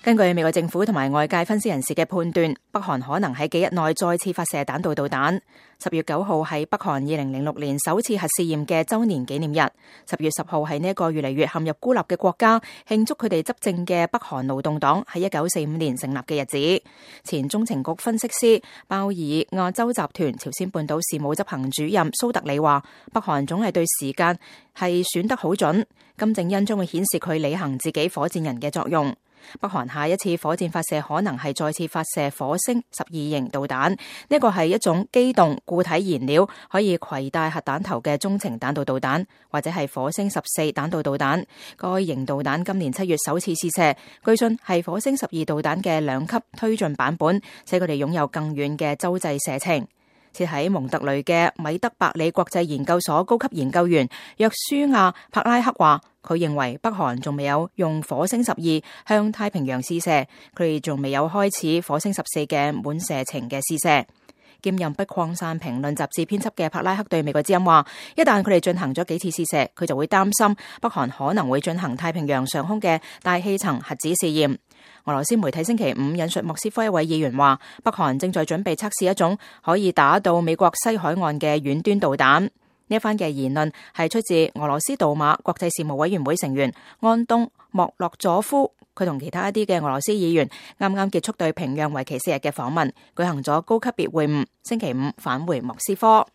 根據美國政府同埋外界分析人士嘅判斷，北韓可能喺幾日內再次發射彈道導彈。10月9號係北韓2006年首次核試驗嘅週年紀念日。10月10號係呢一個越嚟越陷入孤立嘅國家慶祝佢哋執政嘅北韓勞動黨喺1945年成立嘅日子。前中情局分析師鮑爾亞洲集團朝鮮半島事務執行主任蘇特里話：北韓總係對時間係選得好準，金正恩將會顯示佢履行自己火箭人嘅作用。北韓下一次火箭發射可能係再次發射火星12型導彈，呢個係一種機動固體燃料可以攜帶核彈頭嘅中程彈道導彈，或者係火星14彈道導彈。該型導彈今年7月首次試射，據信係火星12導彈嘅2級推進版本，使佢哋擁有更遠嘅洲際射程。設喺蒙特雷嘅米德伯里國際研究所高級研究員約書亞柏拉克話，佢認為北韓仲未有用火星12向太平洋試射，佢哋仲未有開始火星14嘅滿射程嘅試射。兼任不擴散評論雜誌編輯嘅柏拉克對美國之音話，一旦佢哋進行咗幾次試射，佢就會擔心北韓可能會進行太平洋上空嘅大氣層核子試驗。俄羅斯媒體星期五引述莫斯科一位議員話，北韓正在準備測試一種可以打到美國西海岸嘅遠端導彈。呢一番嘅言論係出自俄羅斯杜馬國際事務委員會成員安東莫洛佐夫，佢同其他一啲嘅俄羅斯議員啱啱結束對平壤為期4日嘅訪問，舉行咗高級別會晤，星期五返回莫斯科。